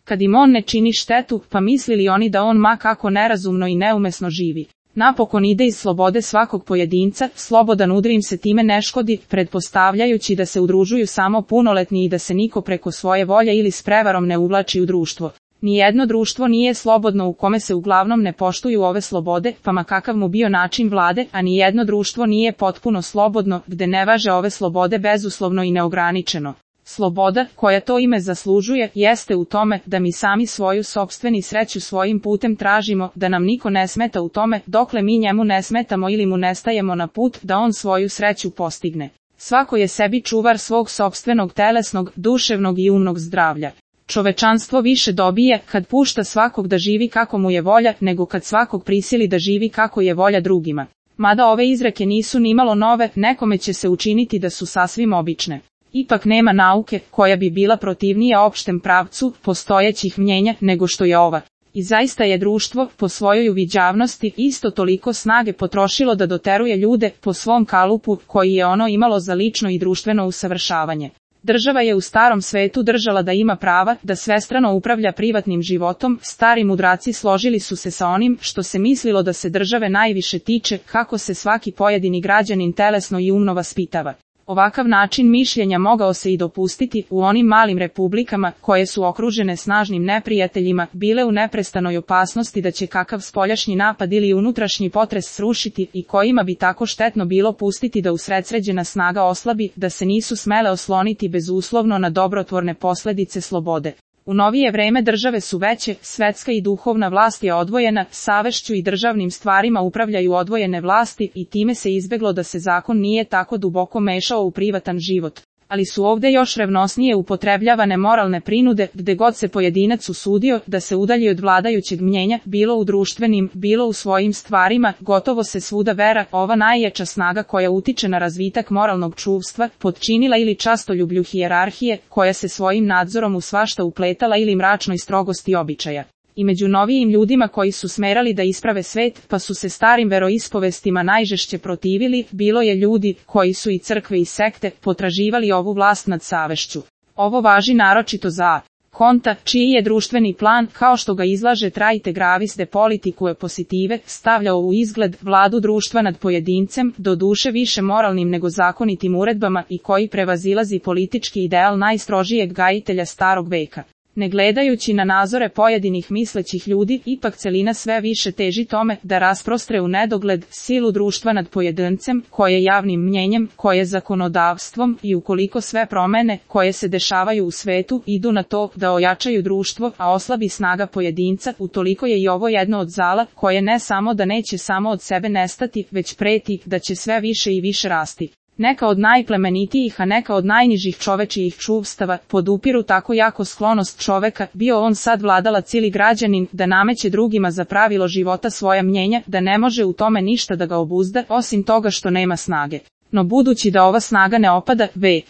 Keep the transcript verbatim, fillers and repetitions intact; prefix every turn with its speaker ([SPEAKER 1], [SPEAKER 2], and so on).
[SPEAKER 1] Kad im on ne čini štetu, pa mislili oni da on ma kako nerazumno i neumesno živi. Napokon ide iz slobode svakog pojedinca, slobodan udri im se time ne škodi, pretpostavljajući da se udružuju samo punoletni i da se niko preko svoje volje ili s prevarom ne uvlači u društvo. Nijedno društvo nije slobodno u kome se uglavnom ne poštuju ove slobode, pa ma kakav mu bio način vlade, a nijedno društvo nije potpuno slobodno, gde ne važe ove slobode bezuslovno i neograničeno. Sloboda, koja to ime zaslužuje, jeste u tome da mi sami svoju sopstveni sreću svojim putem tražimo, da nam niko ne smeta u tome, dokle mi njemu ne smetamo ili mu ne stajemo na put da on svoju sreću postigne. Svako je sebi čuvar svog sopstvenog telesnog, duševnog i umnog zdravlja. Čovečanstvo više dobije kad pušta svakog da živi kako mu je volja, nego kad svakog prisili da živi kako je volja drugima. Mada ove izreke nisu nimalo nove, nekome će se učiniti da su sasvim obične. Ipak nema nauke koja bi bila protivnija opštem pravcu postojećih mnjenja nego što je ova. I zaista je društvo, po svojoj uviđavnosti, isto toliko snage potrošilo da doteruje ljude po svom kalupu koji je ono imalo za lično i društveno usavršavanje. Država je u starom svetu držala da ima prava, da svestrano upravlja privatnim životom, stari mudraci složili su se sa onim što se mislilo da se države najviše tiče, kako se svaki pojedini građanin telesno i umno vaspitava. Ovakav način mišljenja mogao se i dopustiti u onim malim republikama koje su okružene snažnim neprijateljima, bile u neprestanoj opasnosti da će kakav spoljašnji napad ili unutrašnji potres srušiti i kojima bi tako štetno bilo pustiti da usredsređena snaga oslabi, da se nisu smele osloniti bezuslovno na dobrotvorne posledice slobode. U novije vreme države su veće, svetska i duhovna vlast je odvojena, savešću i državnim stvarima upravljaju odvojene vlasti i time se izbeglo da se zakon nije tako duboko mešao u privatan život. Ali su ovde još revnosnije upotrebljavane moralne prinude, gde god se pojedinac usudio da se udalji od vladajućeg mnjenja, bilo u društvenim, bilo u svojim stvarima, gotovo se svuda vera, ova najjača snaga koja utiče na razvitak moralnog čuvstva, potčinila ili častoljublju hijerarhije, koja se svojim nadzorom u svašta upletala ili mračnoj strogosti običaja. I među novijim ljudima koji su smerali da isprave svet, pa su se starim veroispovestima najžešće protivili, bilo je ljudi koji su i crkve i sekte potraživali ovu vlast nad savešću. Ovo važi naročito za Konta, čiji je društveni plan, kao što ga izlaže Trajte Gravis de Politicae Positive, stavljao u izgled vladu društva nad pojedincem, do duše više moralnim nego zakonitim uredbama i koji prevazilazi politički ideal najstrožijeg gajitelja starog veka. Ne gledajući na nazore pojedinih mislećih ljudi, ipak celina sve više teži tome da rasprostre u nedogled silu društva nad pojedincem, koje javnim mnjenjem, koje zakonodavstvom i ukoliko sve promene koje se dešavaju u svetu idu na to da ojačaju društvo, a oslabi snaga pojedinca, utoliko je i ovo jedno od zala koje ne samo da neće samo od sebe nestati, već preti da će sve više i više rasti. Neka od najplemenitijih, a neka od najnižih čovečijih čuvstava, podupiru tako jako sklonost čoveka, bio on sad vladalac ili građanin, da nameće drugima za pravilo života svoja mnjenja, da ne može u tome ništa da ga obuzda, osim toga što nema snage. No budući da ova snaga ne opada, ve.